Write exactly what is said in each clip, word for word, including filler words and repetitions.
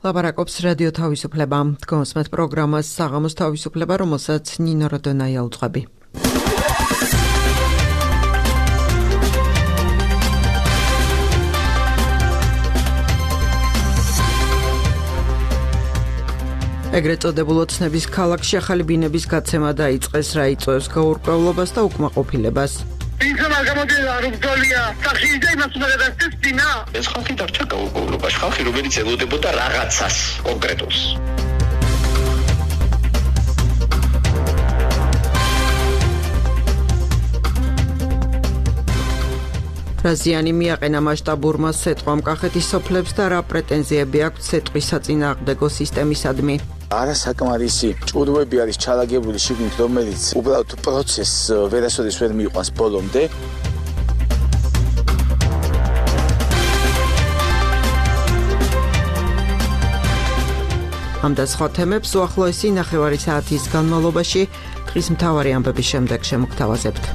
ლაპარაკობს რადიო თავისუფლება. დგომსმეთ პროგრამას საღამოს თავისუფლება, რომელსაც ნინო როდონაია უძღვები. ეგრეთ წოდებულ ოცნების ქალაქში ახალი ბინების გაცემა დაიწყეს, რა იწვევს გაურკვევლობას და უკმაყოფილებას. ინსანა გამოდიოდა რუბდოლია სახში და იმას უნდა გადასცეს ბინა. ეს ხალხი დარჩა გაურკვევლობაში, ხალხი რომელიც ელოდებოდა რაღაცას კონკრეტულს. რაზიანი მიაყენა მასშტაბურმა სეტყვამ კახეთის სოფლებს და რა პრეტენზიები აქვს სეტყვის საწინააღმდეგო სისტემისადმი. არასაკმარისი ჭურვები არის ჩალაგებული შიგნით, რომელიც უბრალოდ პროცესს ვერასოდეს ვერ მიიყვანს ბოლომდე. ამ და სხვა თემებს უახლოესი ნახევარი საათის განმავლობაში დღის მთავარი ამბების შემდეგ შემოგთავაზებთ.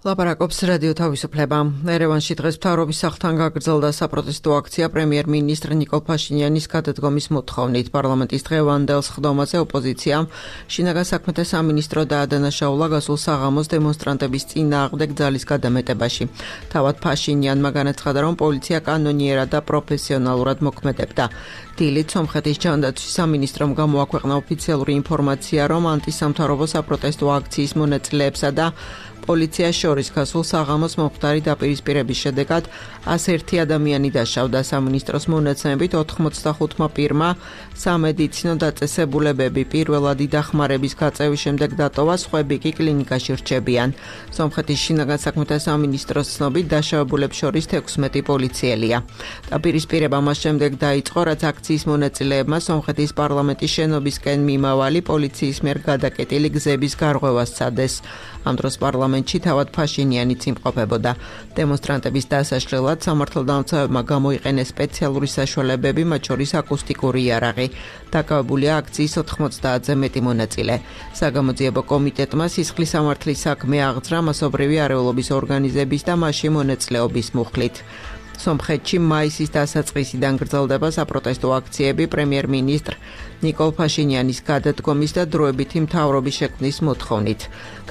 ლაპარაკობს რადიო თავისუფლება. ერევანში დღეს მთავრობის სახლთან გაგრძელდა საპროტესტო აქცია პრემიერ-მინისტრ ნიკოლ ფაშინიანის გადადგომის მოთხოვნით. პარლამენტის დღევანდელ სხდომაზე ოპოზიციამ შინაგან საქმეთა სამინისტრო დაადანაშაულა გასულ საღამოს დემონსტრანტების წინააღმდეგ ძალის გადამეტებაში. თავად ფაშინიანმა განაცხადა, რომ პოლიცია კანონიერად და პროფესიონალურად მოქმედებდა. დილით სომხეთის ჯანდაცვის სამინისტრომ გამოაქვეყნა ოფიციალური ინფორმაცია, რომ ანტისამთავრობო საპროტესტო აქციის მონაწილეებსა და პოლიციას შორის გასულ საღამოს მომხდარი დაპირისპირების შედეგად ას ერთი ადამიანი დაშავდა. სამინისტროს მონაცემებით ოთხმოცდახუთმა პირმა სამედიცინო დაწესებულებები პირველადი დახმარების გაწევის შემდეგ დატოვა, სხვები კი კლინიკაში რჩებიან. სომხეთის შინაგან საქმეთა სამინისტროს ცნობით დაშავებულებს შორის თექვსმეტი პოლიციელია. დაპირისპირება მას შემდეგ დაიწყო, რაც აქციის მონაწილეებმა სომხეთის პარლამენტის შენობისკენ მიმავალი პოლიციის მიერ გადაკეტილი გზების გარღვევას სცადეს. ამ დროს პარლამენტში თავად ფაშინიანიც იმყოფებოდა. დემონსტრანტების დასაშლელად სამართალდამცავებმა გამოიყენეს სპეციალური საშუალებები, მათ შორის აკუსტიკური იარაღი. დაკავებულია აქციის ოთხმოცდაათზე მეტი მონაწილე. საგამოძიებო კომიტეტმა სისხლის სამართლის საქმე აღძრა მასობრივი არეულობის ორგანიზების და მასში მონაწილეობის მუხლით. სომხეთში მაისის დასაწყისიდან გრძელდება საპროტესტო აქციები პრემიერ-მინისტრ ნიკოლ ფაშინიანის გადადგომის და დროებითი მთავრობის შექმნის მოთხოვნით.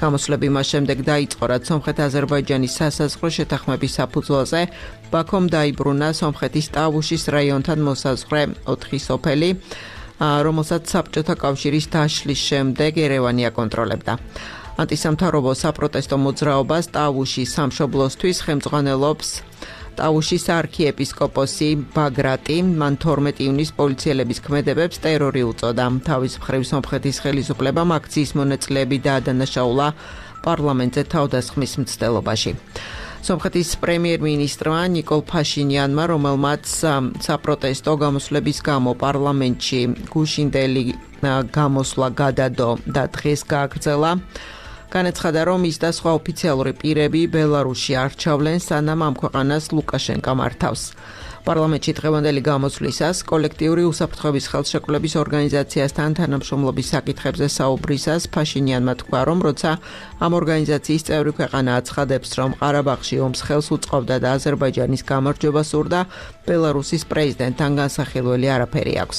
გამოსვლები მას შემდეგ დაიწყო, რაც სომხეთ-აზერბაიჯანის სასაზღვრო შეთანხმების საფუძველზე ბაქომ დაიბრუნა სომხეთის ტავუშის რაიონთან მოსაზღვრე ოთხი სოფელი, რომელსაც საბჭოთა კავშირის დაშლის შემდეგ ერევანი აკონტროლებდა. ანტისამთავრობო საპროტესტო მოძრაობას ტავუშის სამშობლოსთვის ხელმძღვანელობს ტავუშის არქიეპისკოპოსი ბაგრატი. მან თორმეტი ივნისს პოლიციელების ქმედებებს ტერორი უწოდა. თავის მხრივ სომხეთის ხელისუფლებამ აქციის მონაწილეები დაადანაშაულა პარლამენტზე თავდასხმის მცდელობაში. სომხეთის პრემიერ-მინისტრმა ნიკოლ ფაშინიანმა, რომელმაც საპროტესტო გამოსვლების გამო პარლამენტში გუშინდელი გამოსვლა გადადო და დღეს გააგრძელა, განაცხადა, რომ ის და სხვა ოფიციალური პირები ბელარუსში არჩავლენ, სანამ ამ ქვეყანას ლუკაშენკა მართავს. პარლამენტში დღევანდელი გამოსვლისას კოლექტიური უსაფრთხოების ხელშეკრულების ორგანიზაციასთან თანამშრომლობის საკითხებზე საუბრისას ფაშინიანმა თქვა, რომ როცა ამ ორგანიზაციის წევრი ქვეყანა აცხადებს, რომ ყარაბაღში ომს ხელს უწყობდა და აზერბაიჯანის გამარჯვება სურდა, ბელარუსის პრეზიდენტთან განსახილველი არაფერი აქვს.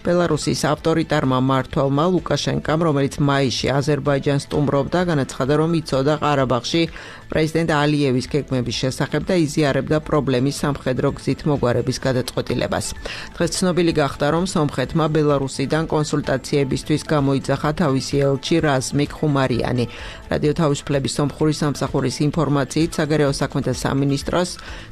ბელარუსის ავტორიტარმა მმართველმა ლუკაშენკამ, რომელიც მაისში აზერბაიჯანს სტუმრობდა, განაცხადა, რომ იცოდა ყარაბაღში პრეზიდენტ ალიევის გეგმების შესახებ და იზიარებდა პრობლემის სამხედრო გზით მოგვარების გადაწყვეტილებას. დღეს ცნობილი გახდა, რომ სომხეთმა ბელარუსიდან კონსულტაციებისთვის გამოიძახა თავისი ელჩი რაზმიკ ხუმარიანი. რადიო თავისუფლების სომხური სამსახურის ინფორმაციით, საგარეო საქმეთა სამინისტროს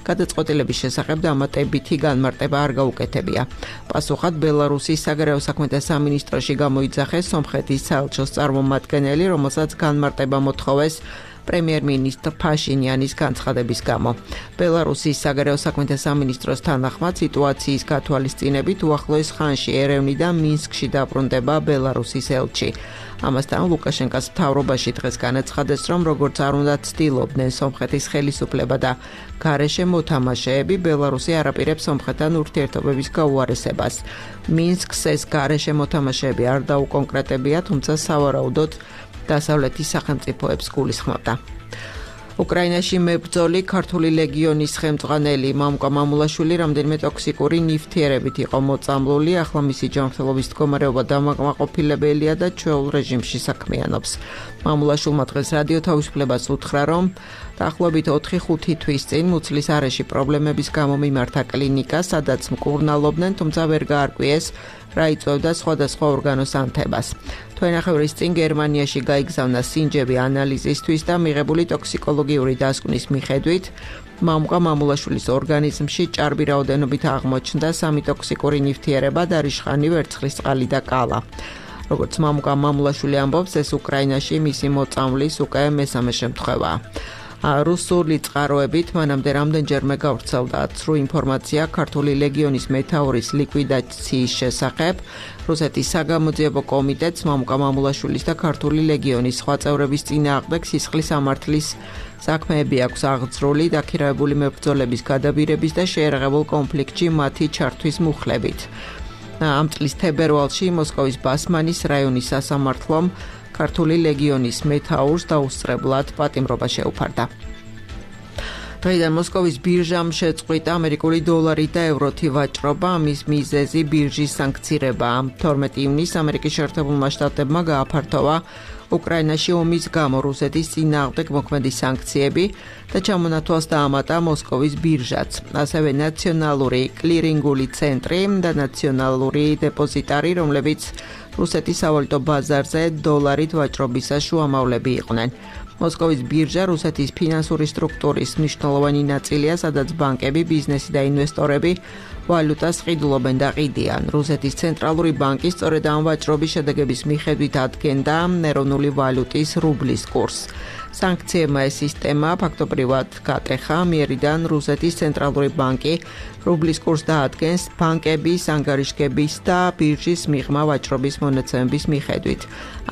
გადაწყვეტილების შესახებ დამატებითი განმარტება არ გაუკეთებია. პასუხად ბელარუსის საგარეო საქმეთა სამინისტროში გამოიძახეს სომხეთის საელჩოს წარმომადგენელი, რომელსაც განმარტება მოთხოვეს პრემიერ-მინისტრ ფაშინიანის განცხადების გამო. ბელარუსის საგარეო საქმეთა სამინისტროს თანახმად სიტუაციის გათვალისწინებით უახლოეს ხანში ერევნიდან მინსკში დაბრუნდება ბელარუსის ელჩი. ამასთან ლუკაშენკას მთავრობაში დღეს განაცხადეს, რომ როგორც არ უნდა ცდილობდნენ სომხეთის ხელისუფლება და გარეშე მოთამაშეები, ბელარუსი არაპირებს სომხეთთან ურთიერთობების გაუარესებას. მინსკს ეს გარეშე მოთამაშეები არ დაუკონკრეტებია, თუმცა სავარაუდოდ დასავლეთის სახელმწიფოებს გულისხმობდა. უკრაინაში მებრძოლი ქართული ლეგიონის ხელმძღვანელი მამუკა მამულაშვილი რამდენიმე ტოქსიკური ნივთიერებით იყო მოწამლული, ახლა მისი ჯანმრთელობის მდგომარეობა დამაკმაყოფილებელია და ჩვეულ რეჟიმში საქმიანობს. მამულაშვილმა დღეს რადიო თავისუფლებას უთხრა, რომ დაახლოებით ოთხი ხუთი თვის წინ მუცლის არეში პრობლემების გამო მიმართა კლინიკა, სადაც მკურნალობდნენ, თუმცა ვერ გაარკვიეს რა იწვევდა სხვადასხვა ორგანოს ანთებას. თვენახევრის წინ გერმანიაში გაიგზავნა სინჯები ანალიზისთვის და მიღებული ტოქსიკოლოგიური დასკვნის მიხედვით მამუკა მამულაშვილის ორგანიზმში ჭარბი რაოდენობით აღმოჩნდა სამი ტოქსიკური ნივთიერება და რიშხანი, ვერცხლისწყალი და კალა. როგორც მამუკა მამულაშვილი ამბობს, ეს უკრაინაში მისი მოწამვლის უკვე მესამე შემთხვევაა. რუსული წყაროებით მანამდე რამდენჯერმე გავრცელდა ცრუ ინფორმაცია ქართული ლეგიონის მეთაურის ლიკვიდაციის შესახებ. რუსეთის საგამოძიებო კომიტეტს მამუკა მამულაშვილის და ქართული ლეგიონის სხვა წევრების წინააღმდეგ სისხლის ამართლის საქმეები აქვს აღძრული დაქირავებული მებრძოლების გადაბირების და შეერაღებულ კონფლიქტში მათი ჩართვის მუხლებით. ამ წლის თებერვალში მოსკოვის ბასმანის რაიონის სასამართლომ ქართული ლეგიონის მეთაურს დაუსწრებლად პატიმრობა შეუფარდა. დღეიდან მოსკოვის ბირჟამ შეწყვიტა ამერიკული დოლარი და ევროთი ვაჭრობა, ამის მიზეზი ბირჟის საანქცირებაა. თორმეტი ივნისს ამერიკის შეერთებულმა შტატებმა გააფართოვა უკრაინაში ომის გამო რუსეთის წინააღმდეგ მოქმედი სანქციები და ჩამონათვალს დაამატა მოსკოვის ბირჟაც. ასევე ნაციონალური კლირინგული ცენტრი და ნაციონალური დეპოზიტარი, რომლებიც რუსეთის სავალუტო ბაზარზე დოლარით ვაჭრობისას შუამავლები იყვნენ. მოსკოვის ბირჟა რუსეთის ფინანსური სტრუქტურის მნიშვნელოვანი ნაწილია, სადაც ბანკები, ბიზნესი და ინვესტორები ვალუტას ყიდულობენ და ყიდიან. რუსეთის ცენტრალური ბანკი სწორედ ამ ვაჭრობის შედეგების მიხედვით ადგენდა ეროვნული ვალუტის რუბლის კურსს. სანქციებმა ეს სისტემა ფაქტობრივად გატეხა, მიერიდან რუსეთის ცენტრალური ბანკი რუბლის კურსს დაადგენს ბანკების, ანგარიშგების და ბირჟის მიღმა ვაჭრობის მონაცემების მიხედვით.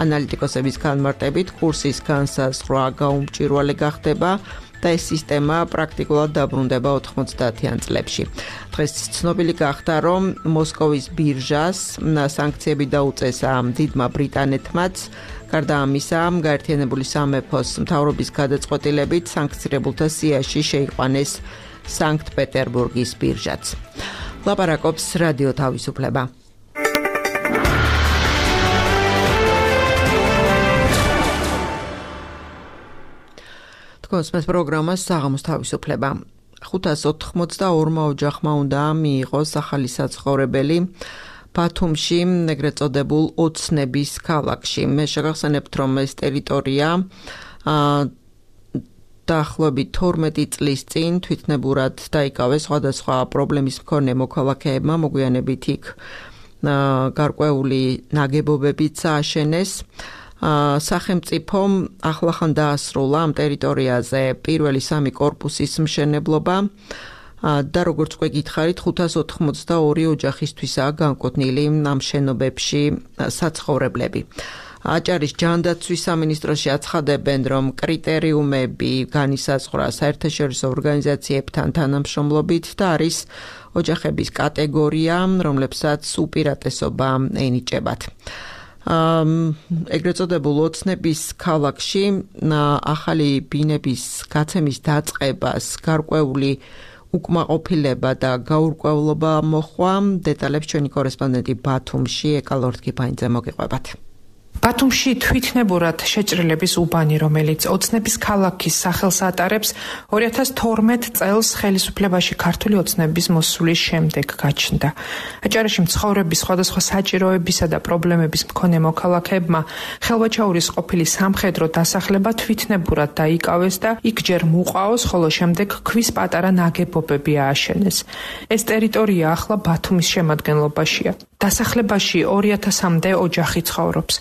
ანალიტიკოსების განმარტებით, კურსის განსაზღვრა გაუმჭვირვალე გახდება და ეს სისტემა პრაქტიკულად დაბრუნდება ოთხმოცდაათიან წლებში. დღეს ცნობილი გახდა, რომ მოსკოვის ბირჟას სანქციები დაუწესა დიდმა ბრიტანეთმაც. გარდა ამისა, გაერთიანებული სამეფოს მთავრობის გადაწყვეტილებით სანქცირებულთა სიაში შეიყვანეს სანქტ-პეტერბურგის ბირჟაც. ლაპარაკობს რადიო თავისუფლება. თქვენს პროგრამას საღამოს თავისუფლება. ხუთას ოთხმოცდაორმა ოჯახმა უნდა მიიღოს ახალი საცხოვრებელი ბათუმში, ეგრეთ წოდებულ ოცნების ქალაქში. მე შეგახსენებთ, რომ ეს ტერიტორია დაახლოებით თორმეტი წლის წინ თვითნებურად დაიკავეს სხვადასხვა პრობლემის მქონე მოქალაქეებმა, მოგვიანებით იქ გარკვეული ნაგებობებიც ააშენეს. სახელმწიფომ ახლახან დაასრულა ამ ტერიტორიაზე პირველი სამი კორპუსის მშენებლობა და როგორც უკვე გითხარით, ხუთას ოთხმოცდაორი ოჯახისთვისაა განკუთვნილი ამ შენობებში საცხოვრებლები. აჭარის ჯანდაცვის სამინისტროში აცხადებენ, რომ კრიტერიუმები განისაზღვრა საერთაშორისო ორგანიზაციებთან თანამშრომლობით და არის ოჯახების კატეგორია, რომლებსაც უპირატესობა ენიჭებათ. ეგრეთ წოდებულ ოცნების ქალაქში ახალი ბინების გაცემის დაწყებას გარკვეული უკმაყოფილება და გაურკვევლობა მოჰყვა. დეტალებს ჩვენი კორესპონდენტი ბათუმში ეკალორდ კიფაინძე მოგიყვებათ. ბათუმში თვითნებურად შეჭრილების უბანი, რომელიც ოცნების ქალაქის სახელს ატარებს, ორი ათას თორმეტ წელს ხელისუფლებაში ქართული ოცნების მოსulis შემდეგ გაჩნდა. აჭარაში მცხოვრების სხვადასხვა საჭიროებისა და პრობლემების მქონე მოქალაქეებმა ხელვაჩაურის ყოფილი სამხედრო დასახლება თვითნებურად დაიკავეს და იქ ჯერ მუყაოს, ხოლო შემდეგ ქვის პატარა ნაგებობები ააშენეს. ეს ტერიტორია ახლა ბათუმის შემადგენლობაშია. დასახლებაში ორი ათასამდე ოჯახი ცხოვრობს.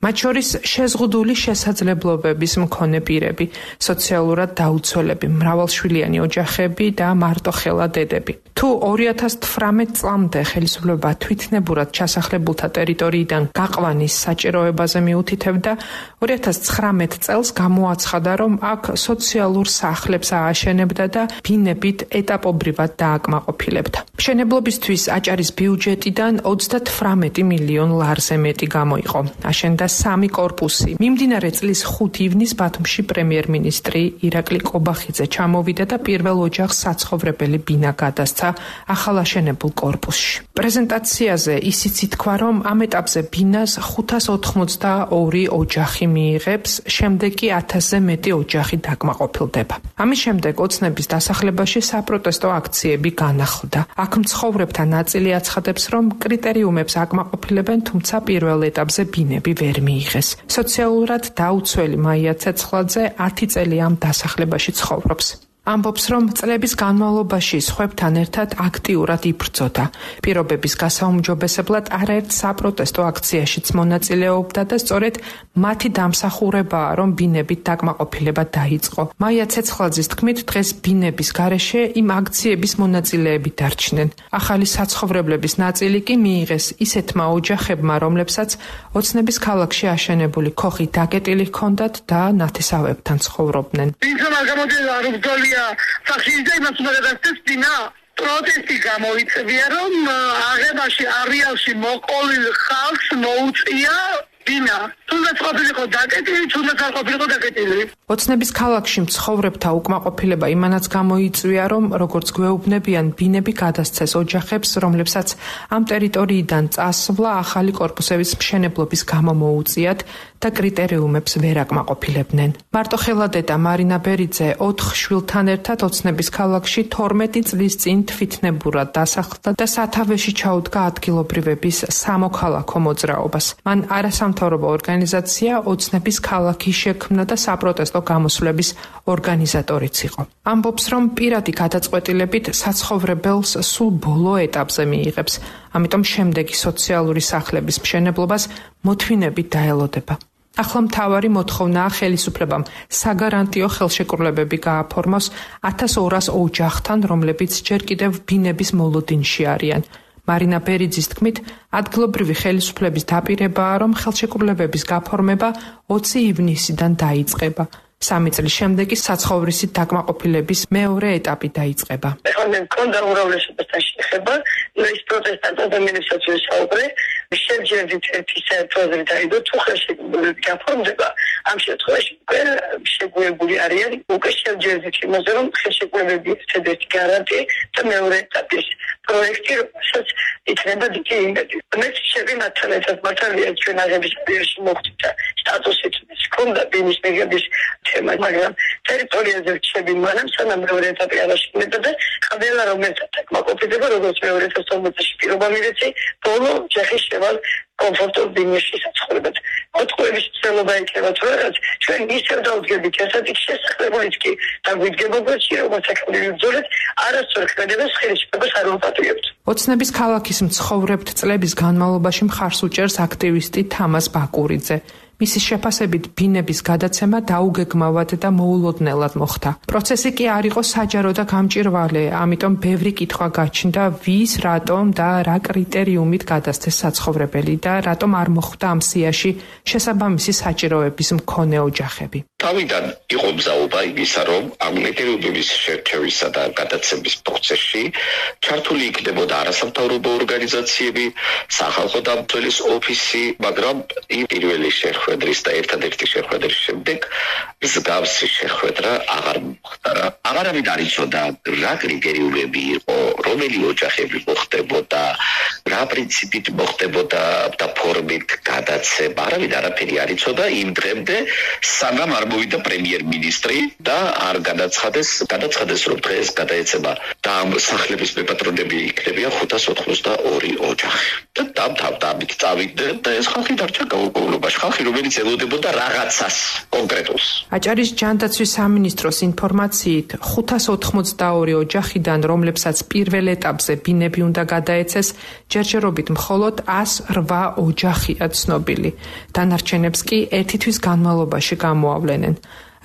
მათ შორის შეზღუდული შესაძლებლობების მქონე პირები, სოციალურად დაუცველები, მრავალშვილიანი ოჯახები და მარტოხელა დედები. თუ ორი ათას თვრამეტ წლამდე ხელისუფლება თვითნებურად ჩასახლებულთა ტერიტორიიდან გაყვანის საჭიროებაზე მიუთითებდა, ორი ათას ცხრამეტ წელს გამოაცხადა, რომ აქ სოციალურ სახლებს ააშენებდა და ბინებით ეტაპობრივად დააკმაყოფილებდა. მშენებლობისთვის აჭარის ბიუჯეტიდან ოცდათვრამეტი მილიონ ლარზე მეტი გამოიყო. აშენდა სამი კორპუსი. მიმდინარე წლის ხუთი ივნის ბათუმში პრემიერ-მინისტრი ირაკლი კობახიძე ჩამოვიდა და პირველ ოჯახს საცხოვრებელი ბინა გადასცა ახალაშენებულ კორპუსში. პრეზენტაციაზე ისიც ითქვა, რომ ამ ეტაპზე ბინას ხუთას ოთხმოცდაორი ოჯახი მიიღებს, შემდეგ კი ათასზე მეტი ოჯახი დაკმაყოფილდება. ამის შემდეგ ოცნების დასახლებაში საპროტესტო აქციები განახლდა. აქ მცხოვრებთა ნაწილი აცხადებს, რომ კრიტერიუმებს აკმაყოფილებენ, თუმცა პირველ ეტაპზე ბინები ვერ მიიღეს. სოციალურად დაუცველი მაია ცეცხლაძე ათი წელი ამ დასახლებაში ცხოვრობს. ამბობს, რომ წლების განმავლობაში სხვებთან ერთად აქტიურად იბრძოდა. პირობების გასაუმჯობესებლად არაერთ საპროტესტო აქციაშიც მონაწილეობდა და სწორედ მათი დამსახურებაა, რომ ბინებით დაკმაყოფილება დაიწყო. მაია ცეცხლაძის თქმით, დღეს ბინების გარეშე იმ აქციების მონაწილეები დარჩნენ. ახალი საცხოვრებლების ნაწილი კი მიიღეს ისეთმა ოჯახებმა, რომლებსაც ოცნების ქალაქში აშენებული ქოხი დაკეტილი ჰქონდათ და ნათესავებთან ცხოვრობდნენ. სახში იმას უნდა გადასცეს ბინა. პროტესტი გამოიწვია, რომ აღებაში არეალში მოყოლილ ხალხს მოუწია ბინა. თუნდაც ყოფილიყო დაკეტილი, თუნდაც არ ყოფილიყო დაკეტილი. ოცნების ქალაქში მცხოვრებთა უკმაყოფილება იმანაც გამოიწვია, რომ როგორც გვეუბნებიან, ბინები გადასცეს ოჯახებს, რომლებსაც ამ ტერიტორიიდან წასვლა ახალი კორპუსების მშენებლობის გამო მოუწიათ და კრიტერიუმებს ვერ აკმაყოფილებდნენ. მარტოხელა-დედა მარინა ბერიძე ოთხ შვილთან ერთად ოცნების ქალაქში თორმეტი წლის წინ თვითნებურად დასახლდა და სათავეში ჩაუდგა ადგილობრივების სამოქალაქო მოძრაობას. მან არასამთავრობო ორგანიზაცია ოცნების ქალაქი შექმნა და საპროტესტო გამოსვლების ორგანიზატორიც იყო. ამბობს, რომ პირადი გადაწყვეტილებით საცხოვრებელს სულ ბოლო ეტაპზე მიიღებს, ამიტომ შემდეგი სოციალური სახლების მშენებლობას მოთმინებით დაელოდება. ახლა მთავარი მოთხოვნაა ხელისუფლებამ საგარანტიო ხელშეკრულებები გააფორმოს ათას ორას ოჯახთან, რომლებიც ჯერ კიდევ ბინების მოლოდინში არიან. მარინა ბერიძის თქმით, ადგილობრივი ხელისუფლების დაპირებაა, რომ ხელშეკრულებების გაფორმება ოცი ივნისიდან დაიწყება. სამი წლის შემდეგ კი საცხოვრისით დაკმაყოფილების მეორე ეტაპი დაიწყება. ეხლა მე მქონდა უმრავლესობასთან შეხება, ის პროტესტანტ ადამიანებსაც ვესაუბრე, შეჯერდით ერთი საერთოაზრი დაიდო, თუ ხელშეკრულებები გაფორმდება, ამ შემთხვევაში უკვე შეგუებული არიან, უკვე შეჯერდით იმაზე, რომ ხელშეკრულებები ერთადერთი გარანტია და მეორე ეტაპის პროექტი, რომელსაც იქნება დიდი იმედი. მე შეები მათთან ერთად მართალია ჩვენ აღების პერიოდში მოხდა სტატუსით ჰქონდა ბინის მიღების თემა, მაგრამ ტერიტორიაზე რჩები მანამ სანამ მეორე ეტაპი არ აშენდება და ყველა რომ ერთად დაკმაყოფილდება, როგორც მეორე ეტაპის ორმოცდაში პირობა მივეცი, ბოლო ჯახის შევალ კომფორტულ ბინაში საცხოვრებლად. მოთხოვების ცელობა იქნება თუ რაღაც, ჩვენ ისევ დავდგებით ასეთი შესაძლებელიც კი დაგვიდგება გვერდში, როგორც საკმაოდ ბრძოლით, არასწორ ქმედებას ხელისუფლებას არ ვაპატიებთ. ოცნების ქალაქის მცხოვრებთ წლების განმავლობაში მხარს უჭერს აქტივისტი თამაზ ბაკურიძე. მისი შეფასებით ბინების გადაცემა დაუგეგმავად და მოულოდნელად მოხდა. პროცესი კი არ იყო საჯარო და გამჭირვალე, ამიტომ ბევრი კითხვა გაჩნდა, ვის, რატომ და რა კრიტერიუმით გადასცეს საცხოვრებელი და რატომ არ მოხვდა ამ სიაში შესაბამისი საჭიროების მქონე ოჯახები. თავიდან იყო მზაობა იმისა, რომ ამ კრიტერიუმების შერჩევისა და გადაცემის პროცესში ჩართული იქნებოდა არასამთავრობო ორგანიზაციები, სახალხო დამცველის ოფისი, მაგრამ იმ პირველი შეხვედრის და ერთადერთი შეხვედრის შემდეგ მსგავსი შეხვედრა აღარ მოხდა. აღარავინ არ იცოდა რა კრიტერიუმები იყო, რომელი ოჯახები მოხდებოდა, რა პრინციპით მოხდებოდა და ფორმით გადაცემა. არავინ არაფერი არ იცოდა იმ დღემდე, სანამ არ მოვიდა პრემიერ-მინისტრი და არ გადაცხადეს, გადაცხადეს რომ დღეს გადაეცემა და ამ სახლების მეპატრონები იქნებიან ხუთას ოთხმოცდაორი ოჯახი. და დამთავრდა ამით წავიდა და ეს ხალხი დარჩა გაუგებრობაში. ხალხი რომელიც ელოდებოდა რაღაცას კონკრეტულს. აჭარის ჯანდაცვის სამინისტროს ინფორმაციით ხუთას ოთხმოცდაორი ოჯახიდან, რომლებსაც პირველ ეტაპზე ბინები უნდა გადაეცეს, ჯერჯერობით მხოლოდ ას რვა ოჯახია ცნობილი. დანარჩენებს კი ერთი თვის განმავლობაში გამოავლენენ.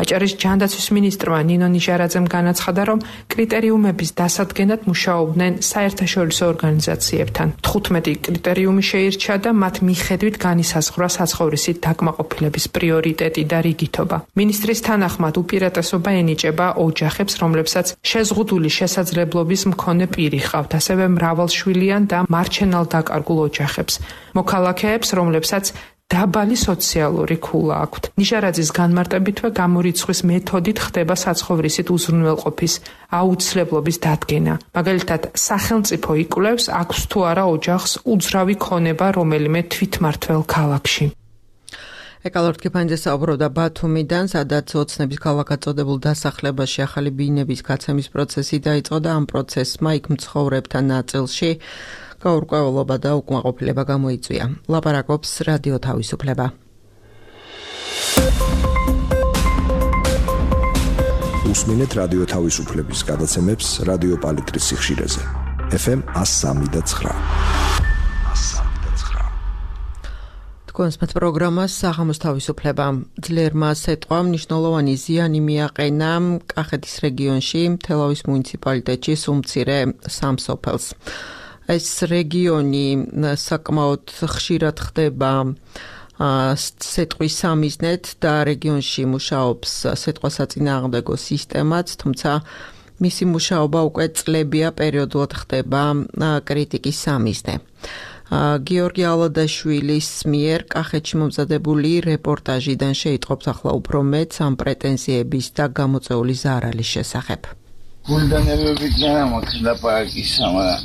აჭარის ჯანდაცვის მინისტრმა ნინო ნიჟარაძემ განაცხადა, რომ კრიტერიუმების დასადგენად მუშაობდნენ საერთაშორისო ორგანიზაციებთან. თხუთმეტი კრიტერიუმი შეირჩა და მათ მიხედვით განისაზღვრა საცხოვრისით დაკმაყოფილების პრიორიტეტი და რიგითობა. მინისტრის თანახმად უპირატესობა ენიჭება ოჯახებს, რომლებსაც შეზღუდული შესაძლებლობის მქონე პირი ჰყავთ, ასევე მრავალშვილიან და მარჩენალ დაკარგულ ოჯახებს. მოქალაქეებს, რომლებსაც დაბალი სოციალური ქულა აქვთ. ნიჟარაძის განმარტებითვე გამორიცხვის მეთოდით ხდება საცხოვრისით უზრუნველყოფის აუცილებლობის დადგენა. მაგალითად, სახელმწიფო იკვლევს, აქვს თუ არა ოჯახს უძრავი ქონება რომელიმე თვითმმართველ ქალაქში. ეკალორდ კიფანიძე საუბრობდა ბათუმიდან, სადაც ოცნების ქალაქად წოდებულ დასახლებაში ახალი ბინების გაცემის პროცესი დაიწყო და ამ პროცესმა იქ მცხოვრებთა ნაწილში გაურკვევლობა და უკმაყოფილება გამოიწვია. ლაპარაკობს რადიო თავისუფლება. უსმინეთ რადიო თავისუფლების გადაცემებს რადიო პალიტრის სიხშირეზე. ეფ ემ one oh three point nine. თქვენს მათ პროგრამას საღამოს თავისუფლება. ძლიერმა სეტყვამ მნიშვნელოვანი ზიანი მიაყენა კახეთის რეგიონში, თელავის მუნიციპალიტეტში სუმცირე სამ სოფელს. ეს რეგიონი საკმაოდ ხშირად ხდება სეტყვის სამიზნედ და რეგიონში მუშაობს სეტყვასაწინააღმდეგო სისტემაც, თუმცა მისი მუშაობა უკვე წლებია პერიოდულად ხდება კრიტიკის სამიზნე. გიორგი ალადაშვილის მიერ კახეთში მომზადებული რეპორტაჟიდან შეიტყობს ახლა უფრო მეც ამ პრეტენზიების და გამოწვეული ზარალის შესახებ. გულდანებებით ნამაქვს ლაპარაკის, მაგრამ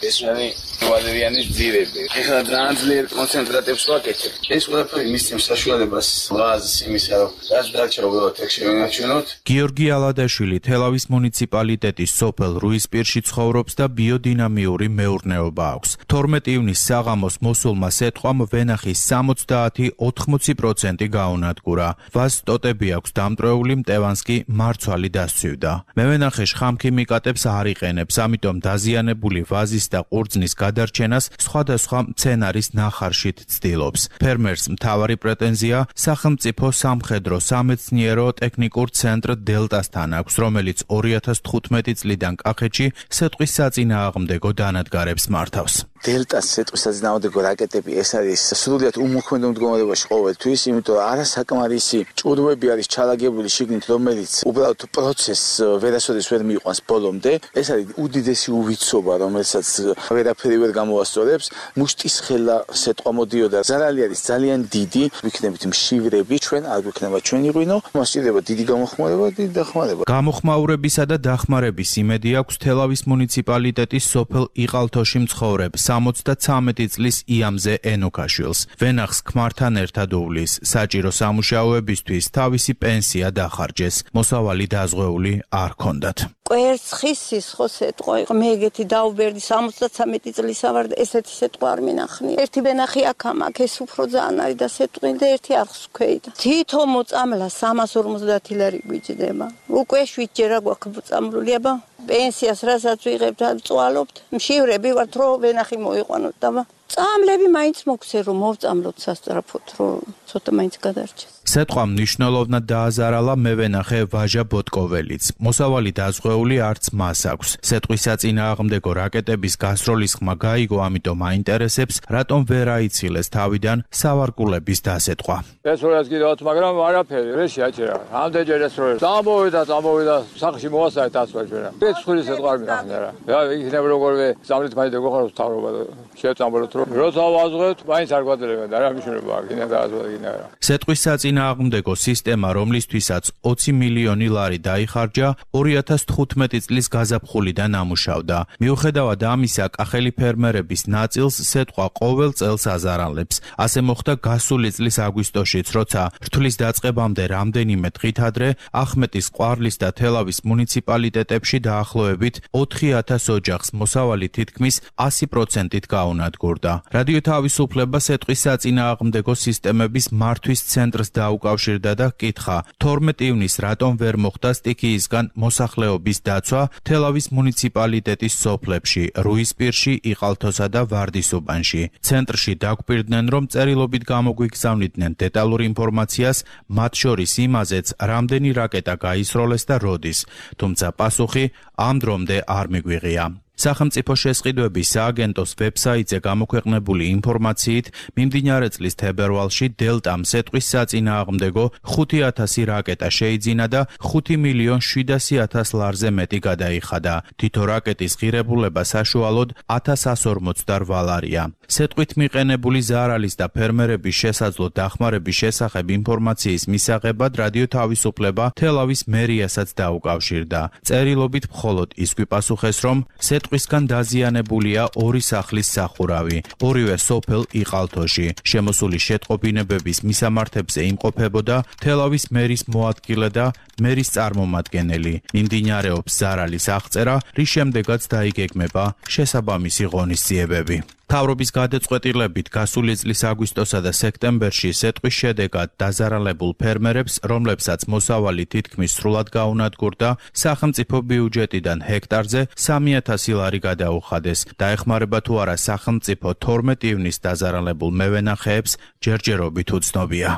ეს არის ვალერიანის ძირები. ეხლა ძალიან ძლიერ კონცენტრატებს ვაკეთებ. ეს ყველაფერი მისცემს საშუალებას ვაზს იმისა, რომ რაც დარჩა უბრალოდ ეგ შევინარჩუნოთ. გიორგი ალადაშვილი თელავის მუნიციპალიტეტის სოფელ რუისპირში ცხოვრობს და ბიოდინამიური მეურნეობა აქვს. თორმეტი ივნისს საღამოს მოსულმა სეტყვამ ვენახის სამოცდაათი ოთხმოცი პროცენტი გაუნადგურა. ვაზს ტოტები აქვს დამტვრეული, მტევანს კი მარცვალი დასცვივდა. მევენახე შხამქიმიკატებს არ იყენებს, ამიტომ დაზიანებული ვაზის და ყურძნის გადარჩენას სხვადასხვა მცენარის ნახარშით ცდილობს. ფერმერს მთავარი პრეტენზია სახელმწიფო სამხედრო სამეცნიერო ტექნიკურ ცენტრ დელტასთან აქვს, რომელიც ორი ათას თხუთმეტი წლიდან კახეთში სეტყვის საწინააღმდეგო დანადგარებს მართავს. დელტას სეტყვის საწინააღმდეგო რაკეტები ეს არის სრულიად უმოქმედო მდგომარეობაში ყოველთვის, იმიტომ რომ არასაკმარისი ჭურვები არის ჩალაგებული შიგნით, რომელიც უბრალოდ პროცესს ვერასოდეს ვერ მიიყვანს ბოლომდე. ეს არის უდიდესი უვიცობა, რომელსაც ვერაფერი ვერ გამოასწორებს. მუშტის ხელა სეტყვა მოდიოდა, ზარალი არის ძალიან დიდი, ვიქნებით მშივრები, ჩვენ არ გვიქნება ჩვენი ღვინო, მას სჭირდება დიდი გამოხმაურება, დიდი დახმარება. გამოხმაურებისა და დახმარების იმედი აქვს თელავის მუნიციპალიტეტის სოფელ იყალთოში მცხოვრებ სამოცდაცამეტი წლის იამზე ენოქაშვილს. ვენახს ქმართან ერთად უვლის, საჭირო სამუშაოებისთვის თავისი პენსია დახარჯეს, მოსავალი დაზღვეული არ ჰქონდათ. კვერცხის სისხლო სეტყვა იყო, მე ეგეთი დაუბერდი სამოცდაცამეტი წლის ვარ და ესეთი სეტყვა არ მინახნია. ერთი ვენახი აქ ამაკ, ეს უფრო ძალიან არის და სეტყვი და ერთი არხს ვქვეიდა. თითო მოწამლა სამას ორმოცდაათი ლარი გვიჭდება. უკვე შვიდჯერა გვაქვს მოწამლული, აბა პენსიას რასაც ვიღებთ, წვალობთ. მშივრები ვართ, რომ ვენახი მოიყვანოთ და წამლები მაინც მოგცე რომ მოვწამლოთ სასწრაფოდ, რომ ცოტა მაინც გადარჩეს. სეტყვამ მნიშვნელოვნად დააზარალა მევენახე ვაჟა ბოტკოველიც. მოსავალი დაზღვეული არც მას აქვს. სეტყვის საწინააღმდეგო რაკეტების გასროლის ხმა გაიგო, ამიტომ აინტერესებს, რატომ ვერ აიცილეს თავიდან სავარგულების დასეტყვა. ეს როაც კიდევ, მაგრამ არაფერი, რეში აჭერა. ამდენჯერ ეს რო დამოვიდა, დამოვიდა, სახში მოვასწრეთ ასვაჯერა. ეს ხური სეტყვა არ მიხნია რა. რა იქნება როგორვე ზამრით მაინდა გოხაროს თავრობა და შევწამბოლოთ რომ როცა ვაზღვევთ, მაინც არ გვაძლევია და რა მნიშვნელობა აქვს, იქნება დააზღვევა იქნება რა. სეტყვის საწინააღმდეგო სისტემა, რომლისთვისაც ოცი მილიონი ლარი დაიხარჯა, ორი ათას თხუთმეტი წლის გაზაფხულიდან ამუშავდა. მიუხედავად ამისა, კახელი ფერმერების ნაწილს სეტყვა ყოველ წელს აზარალებს. ასე მოხდა გასული წლის აგვისტოშიც, როცა რთვლის დაწყებამდე რამდენიმე დღით ადრე ახმეტის, ყვარლის და თელავის მუნიციპალიტეტებში დაახლოებით ოთხი ათას ოჯახს მოსავალი თითქმის ასი პროცენტით გაუნადგურდა. რადიო თავისუფლება სეტყვის საწინააღმდეგო სისტემების მართვის ცენტრს დაუკავშირდა და კითხა: თორმეტი ივნისს რატომ ვერ მოხდა სტიქიისგან მოსახლეობის დაცვა თელავის მუნიციპალიტეტის სოფლებში, რუისპირში, იყალთოსა და ვარდისუბანში. ცენტრში დაგვპირდნენ, რომ წერილობით გამოგვიგზავნიდნენ დეტალურ ინფორმაციას, მათ შორის იმაზეც, რამდენი რაკეტა გაისროლეს და როდის, თუმცა პასუხი ამ დრომდე არ მიგვიღია. სახელმწიფო შესყიდვების სააგენტოს ვებსაიტზე გამოქვეყნებული ინფორმაციით, მიმდინარე წლის თებერვალში დელტამ სეტყვის საწინააღმდეგო ხუთი ათასი რაკეტა შეიძინა და ხუთი მილიონ შვიდასი ათას ლარზე მეტი გადაიხადა. თითო რაკეტის ღირებულება საშუალოდ ათას ასს ორმოცდარვა ლარია. სეტყვით მიყენებული ზარალის და ფერმერების შესაძლო დახმარების შესახებ ინფორმაციის მისაღებად რადიო თავისუფლება თელავის მერიასაც დაუკავშირდა. წერილობით მხოლოდ ის გვიპასუხეს, რომ სეტყვისგან დაზიანებულია ორი სახლის სახურავი, ორივე სოფელ იყალთოში. შემოსული შეტყობინებების მისამართებზე იმყოფებოდა თელავის მერის მოადგილე და მერის წარმომადგენელი. მიმდინარეობს ზარალის აღწერა, რის შემდეგაც დაიგეგმება შესაბამისი ღონისძიებები. მთავრობის გადაწყვეტილებით გასული წლის აგვისტოსა და სექტემბერში სეტყვის შედეგად დაზარალებულ ფერმერებს, რომლებსაც მოსავალი თითქმის სრულად გაუნადგურდა, სახელმწიფო ბიუჯეტიდან ჰექტარზე სამი ათასი ლარი გადაუხადეს. დაეხმარება თუ არა სახელმწიფო თორმეტი ივნისს დაზარალებულ მევენახეებს ჯერჯერობით უცნობია.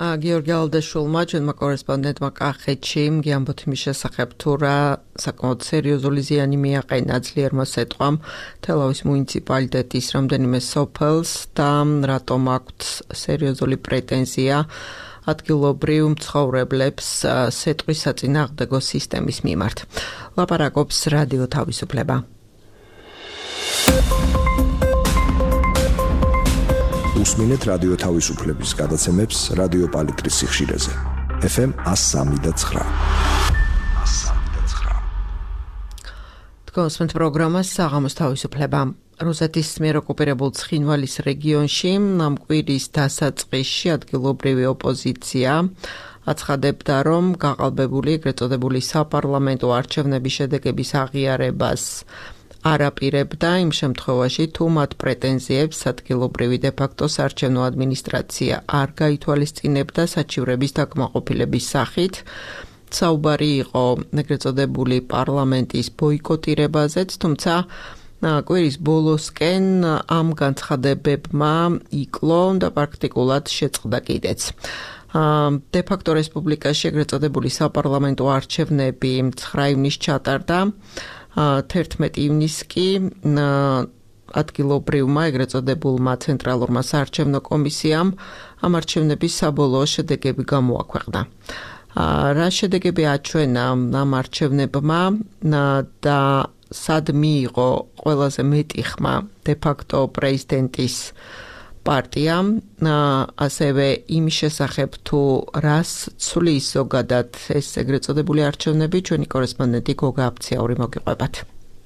გიორგი ალდაშულმა, ჩვენმა კორესპონდენტმა კახეთში გიამბოთ იმის შესახებ, თუ რა საკმაოდ სერიოზული ზიანი მიაყენა ძლიერმა სეტყვამ თელავის მუნიციპალიტეტის რამდენიმე სოფელს და რატომ აქვთ სერიოზული პრეტენზია ადგილობრივ მცხოვრებლებს სეტყვის საწინააღმდეგო სისტემის მიმართ. ლაპარაკობს რადიო თავისუფლება. უსმინეთ რადიო თავისუფლების გადაცემებს რადიო პალიტრის სიხშირეზე. ეფ ემ one oh three და nine. თქვენს პროგრამას საღამოს თავისუფლება. რუსეთის მიერ ოკუპირებულ ცხინვალის რეგიონში ამ კვირის დასაწყისში ადგილობრივი ოპოზიცია აცხადებდა, რომ გაყალბებული ეგრეთ წოდებული საპარლამენტო არჩევნების შედეგების აღიარებას არაპირებდა იმ შემთხვევაში, თუ მათ პრეტენზიებს ადგილობრივი დე-ფაქტო საარჩევნო ადმინისტრაცია არ გაითვალისწინებდა საჩივრების დაკმაყოფილების სახით. საუბარი იყო ეგრეთ წოდებული პარლამენტის ბოიკოტირებაზეც, თუმცა კვირის ბოლოსკენ ამ განცხადებებმა იკლო და პრაქტიკულად შეწყდა კიდეც. დე-ფაქტო რესპუბლიკაში ეგრეთ წოდებული საპარლამენტო არჩევნები ცხრა ივნისს ჩატარდა. თერთმეტი ივნისს კი ადგილობრივმა ეგრეთ წოდებულმა ცენტრალურმა საარჩევნო კომისიამ ამ არჩევნების საბოლოო შედეგები გამოაქვეყნა. რა შედეგები აჩვენა ამ არჩევნებმა და სად მიიღო ყველაზე მეტი ხმა დე-ფაქტო პრეზიდენტის პარტიამ, ასევე იმის შესახებ, თუ რას ცვლის ზოგადად ეს ეგრეთ წოდებული არჩევნები, ჩვენი კორესპონდენტი გოგა აფციაური მოგიყვებათ.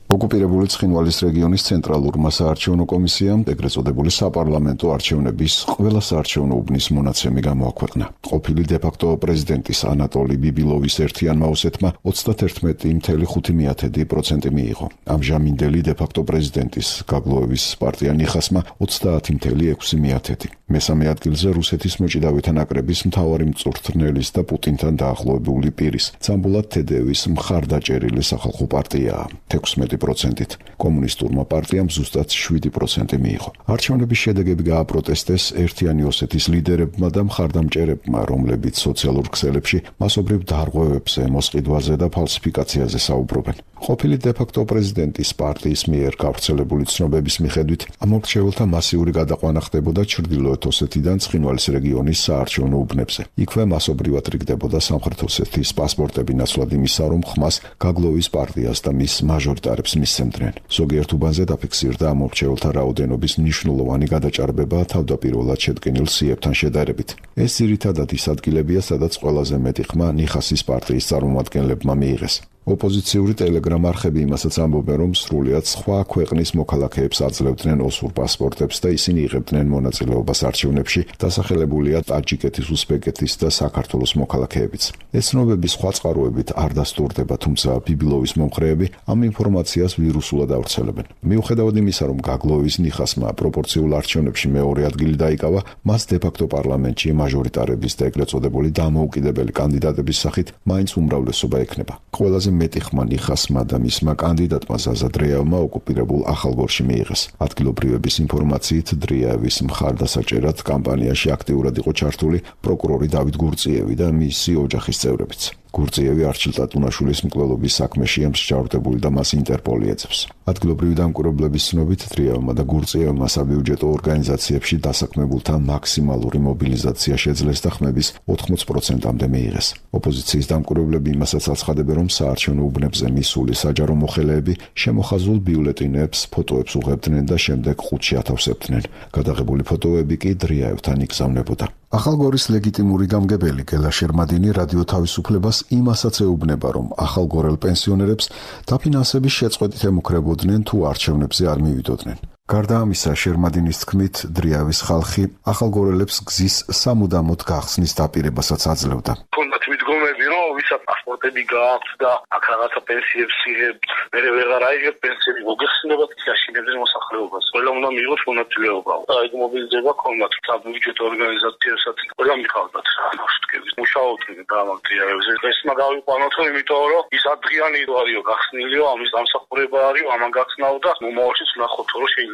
ოკუპირებული ცხინვალის რეგიონის ცენტრალურმა საარჩევნო კომისიამ ეგრეთ წოდებული საპარლამენტო არჩევნების ყველა საარჩევნო უბნის მონაცემი გამოაქვეყნა. ყოფილი დე-ფაქტო პრეზიდენტის ანატოლი ბიბილოვის ერთიანმა ოსეთმა ოცდათერთმეტი ფاصლე ხუთი პროცენტი მიიღო. ამჟამინდელი დე-ფაქტო პრეზიდენტის გაგლოევის პარტია ნიხასმა ოცდაათი ფاصლე ექვსი პროცენტი. მესამე ადგილზე რუსეთის მოჭიდავეთა ნაკრების მთავარი მწვრთნელის და პუტინთან დაახლოებული პირის, ცამბულად თედევის მხარდაჭერილი სახალხო პარტიაა. თექვსმეტი პროცენტით. კომუნისტურმა პარტიამ ზუსტად შვიდი პროცენტი მიიღო. არჩევნების შედეგები გააპროტესტეს ერთიანი ოსეთის ლიდერებმა და მხარდამჭერებმა, რომლებიც სოციალურ ქსელებში მასობრივ დარღვევებზე, მოსყიდვაზე და ფალსიფიკაციაზე საუბრობენ. ყოფილი დე-ფაქტო პრეზიდენტის პარტიის მიერ გავრცელებული ცნობების მიხედვით, ამ მორჩეულთა მასიური გადაყვანა ხდებოდა ჩრდილოეთ ოსეთიდან ცხინვალის რეგიონის საარჩევნო უბნებზე. იქვე მასობრივად რიგდებოდა სამხრეთ ოსეთის პასპორტები ნაცვლად იმისა, რომ ხმას გაგლოვის პარტიას და მის მაჟორიტარებს მისცემდნენ. ზოგიერთ უბანზე დაფიქსირდა ამ მორჩეულთა რაოდენობის მნიშვნელოვანი გადაჭარბება თავდაპირველად შედგენილ სიებთან შედარებით. ეს ძირითადად ის ადგილებია, სადაც ყველაზე მეტი ხმა ნიხასის პარტიის წარმომადგენლებმა მიიღეს. ოპოზიციური ტელეგრამ არხები იმასაც ამბობენ, რომ სრულიად სხვა ქვეყნის მოქალაქეებს აძლევდნენ ოსურ პასპორტებს და ისინი იღებდნენ მონაწილეობას არჩევნებში, დასახელებულია ტაჯიკეთის, უზბეკეთის და საქართველოს მოქალაქეებიც. ეს ცნობები სხვა წყაროებით არ დასტურდება, თუმცა ბიბილოვის მომხრეები ამ ინფორმაციას ვირუსულად ავრცელებენ. მიუხედავად იმისა, რომ გაგლოვის ნიხასმა პროპორციულ არჩევნებში მეორე ადგილი დაიკავა, მას დე-ფაქტო პარლამენტში მაჟორიტარების და ეგრეთ წოდებული დამოუკიდებელი კანდიდატების სახით მაინც უმრავლესობა ექნება. ყველაზე მეტი ხმა ნიხასმა და მისმა კანდიდატმა ზაზა დრეევმა ოკუპირებულ ახალგორში მიიღეს. ადგილობრივების ინფორმაციით, დრეევის მხარდასაჭერად კამპანიაში აქტიურად იყო ჩართული პროკურორი დავით გურწიევი და მისი ოჯახის წევრებიც. გურწიევი არჩილ ტატუნაშვილის მკვლელობის საქმეშია მსჯავრდებული და მას ინტერპოლი ეძებს. ადგილობრივი დამკვირვებლების ცნობით, დრეევმა და გურწიევმა საბიუჯეტო ორგანიზაციებში დასაქმებულთა მაქსიმალური მობილიზაცია შეძლეს და ხმების ოთხმოც პროცენტამდე მიიღეს. ოპოზიციის დამკვირვებლები იმასაც აცხადებენ, რომ საარჩევნო უბნებზე მისული საჯარო მოხელეები შემოხაზულ ბიულეტინებს, ფოტოებს უღებდნენ და შემდეგ ყუთში ათავსებდნენ. გადაღებული ფოტოები კი დრეევთან იგზავნებოდა. ახალგორის ლეგიტიმური გამგებელი გელა შერმადინი რადიო თავისუფლებას იმასაც ეუბნება, რომ ახალგორელ პენსიონერებს დაფინანსების შეწყვეტით ემუქრებოდნენ თუ არჩევნებზე არ მივიდოდნენ. გარდა ამისა, შერმადინის თქმით, დრეავის ხალხი ახალგორელებს გზის სამუდამოდ გახსნის დაპირებასაც აძლევდა. ქონდათ მიდგომები, რომ ვისაც პასპორტები გააქვს და აქ რაღაცა პენსიებს იღებთ, მერე ვეღარ აიღებთ პენსიები, მოგეხსნებათ გაშინებდნენ მოსახლეობას. ყველა უნდა მიიღოს მონაწილეობა. და ეგ მობილიზება ქონდათ საბიუჯეტო ორგანიზაციებსაც, ყველა მიყავდათ ნავშტკების. მუშაობდნენ გამაგრიებებზე. ეს მაგავიყვანოთ, იმიტომ რომ ის ადრიანი ვარიო გახსნილიო, ამის დამსახურება არის, ამან გახსნაო და მომავალშიც ვნახოთ, რომ შეიძლება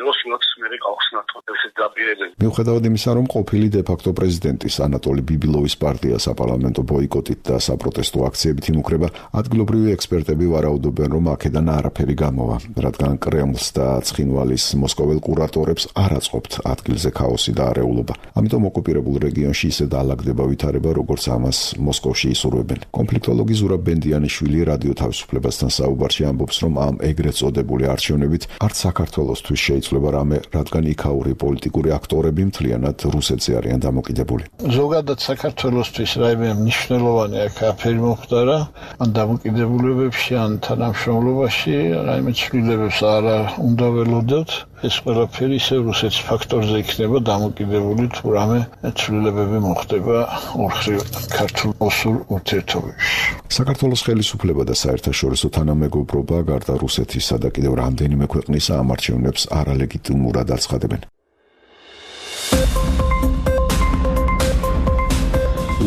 მიუხედავად იმისა, რომ ყოფილი დე-ფაქტო პრეზიდენტის ანატოლი ბიბილოვის პარტია საპარლამენტო ბოიკოტით და საპროტესტო აქციებით იმუქრება, ადგილობრივი ექსპერტები ვარაუდობენ, რომ აქედან არაფერი გამოვა, რადგან კრემლს და ცხინვალის მოსკოველ კურატორებს არ აწყობთ ადგილზე ქაოსი და არეულობა. ამიტომ ოკუპირებულ რეგიონში ისე დაალაგდება ვითარება, როგორც ამას მოსკოვში ისურვებენ. კონფლიქტოლოგი ზურაბ ბენდიანიშვილი რადიო თავისუფლებასთან საუბარში ამბობს, რომ ამ ეგრეთ წოდებული არჩევნებით არც საქართველოსთვის შეიძლება რამე, რადგან იქაური პოლიტიკური აქტორები მთლიანად რუსეთზე არიან დამოკიდებული. ზოგადად საქართველოსთვის რაიმე მნიშვნელოვანი აქ აფერი მომხდარა, ან დამოკიდებულებებში, ან თანამშრომლობაში რაიმე ცვლილებებს არ უნდა ველოდოთ. ეს ყველაფერი ისე რუსეთის ფაქტორზე იქნება დამოკიდებული, თუ რამე ცვლილებები მოხდება ორმხრივ ქართულ-ოსურ ურთიერთობებში. საქართველოს ხელისუფლება და საერთაშორისო თანამეგობრობა გარდა რუსეთისა და კიდევ რამდენიმე ქვეყნისა ამ არჩევნებს არალეგიტიმურად აცხადებენ.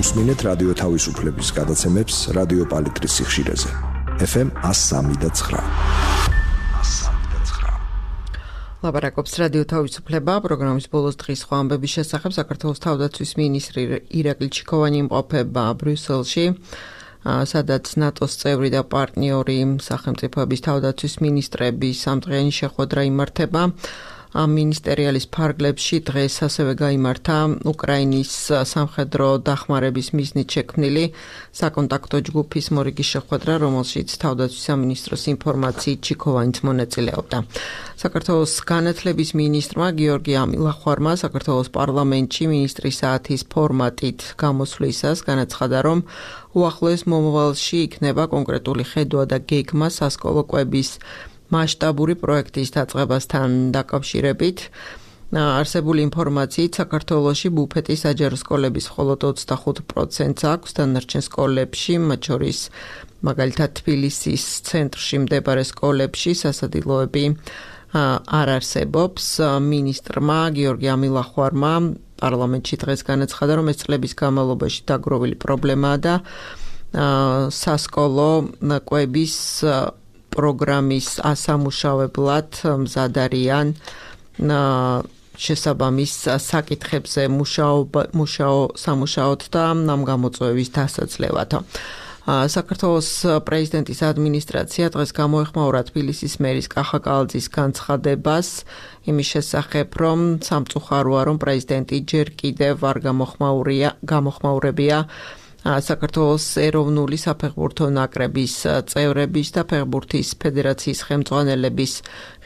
უსმინეთ რადიო თავისუფლების გადაცემებს რადიო პალიტრის სიხშირეზე. ეფ ემ one oh three და nine. ლაპარაკობს რადიო თავისუფლება, პროგრამის ბოლოს დღის სხვა ამბების შესახებ საქართველოს თავდაცვის მინისტრი ირაკლი ჩიქოვანი იმყოფება ბრიუსელში, სადაც ნატოს წევრი და პარტნიორი სახელმწიფოების თავდაცვის მინისტრები სამდღიანი შეხვედრა იმართება. ამ მინისტერიალის ფარგლებში დღეს ასევე გაიმართა უკრაინის სამხედრო დახმარების მიზნით შექმნილი საკონტაქტო ჯგუფის მორიგის შეხვედრა, რომელშიც თავდაცვის სამინისტროს ინფორმაციით ჩიქოვანიც მონაწილეობდა. საქართველოს განათლების მინისტრმა გიორგი ამილახვარმა საქართველოს პარლამენტში მინისტრის საათის ფორმატით გამოსვლისას განაცხადა, რომ უახლოეს მომავალში იქნება კონკრეტული ხედვა და გეგმა სასკოლო კვების მასშტაბური პროექტის დაწყებასთან დაკავშირებით. არსებული ინფორმაციით საქართველოში ბუფეტის საჯარო სკოლების მხოლოდ ოცდახუთ პროცენტს აქვს, დანარჩენ სკოლებში, მათ შორის მაგალითად თბილისის ცენტრში მდებარე სკოლებში სასადილოები არ არსებობს. მინისტრმა გიორგი ამილახვარმა პარლამენტში დღეს განაცხადა, რომ ეს წლების განმავლობაში დაგროვილი პრობლემაა და სასკოლო კვების პროგრამის ასამუშავებლად მზად არიან შესაბამის საკითხებზე მუშაო სამუშაოდ და ამ გამოწვევის დასაძლევად. საქართველოს პრეზიდენტის ადმინისტრაცია დღეს გამოეხმაურა თბილისის მერის კახა კალაძის განცხადებას იმის შესახებ, რომ სამწუხაროა, რომ პრეზიდენტი ჯერ კიდევ არ გამოხმაურია გამოხმაურებია საქართველოს ეროვნული საფეხბურთო ნაკრების წევრების და ფეხბურთის ფედერაციის ხელმძღვანელების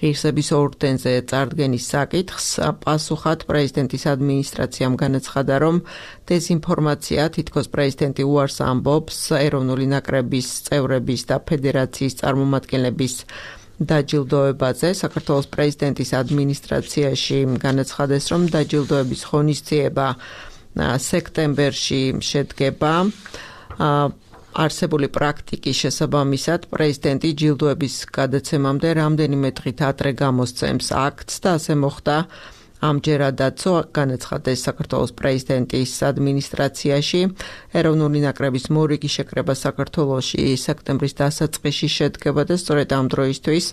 ღირსების ორდენზე წარდგენის საკითხს პასუხად პრეზიდენტის ადმინისტრაციამ განაცხადა, რომ დეზინფორმაცია თითქოს პრეზიდენტი უარს ამბობს ეროვნული ნაკრების წევრების და ფედერაციის წარმომადგენლების დაჯილდოებაზე. საქართველოს პრეზიდენტის ადმინისტრაციაში განაცხადეს, რომ დაჯილდოების ღონისძიება სექტემბერში შედგება. არსებული პრაქტიკის შესაბამისად პრეზიდენტი ჯილდოების გადაცემამდე რამდენიმე დღით ადრე გამოსცემს აქტს და ასე მოხდა ამჯერადაც განაცხადეს საქართველოს პრეზიდენტის ადმინისტრაციაში. ეროვნული ნაკრების მორიგი შეკრება საქართველოში სექტემბრის დასაწყისში შედგება და სწორედ ამ დროისთვის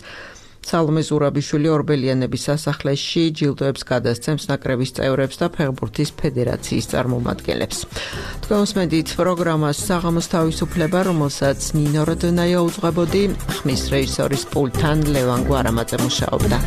სალომე ზურაბიშვილი ორბელიანების სასახლეში ჯილდოებს გადასცემს ნაკრების წევრებს და ფეხბურთის ფედერაციის წარმომადგენლებს. თქვენ უსმენთ პროგრამას საღამოს თავისუფლება, რომელსაც ნინო როდონაია უძღვებოდი, ხმის რეჟისორის პულტთან ლევან გვარამაძე მუშაობდა.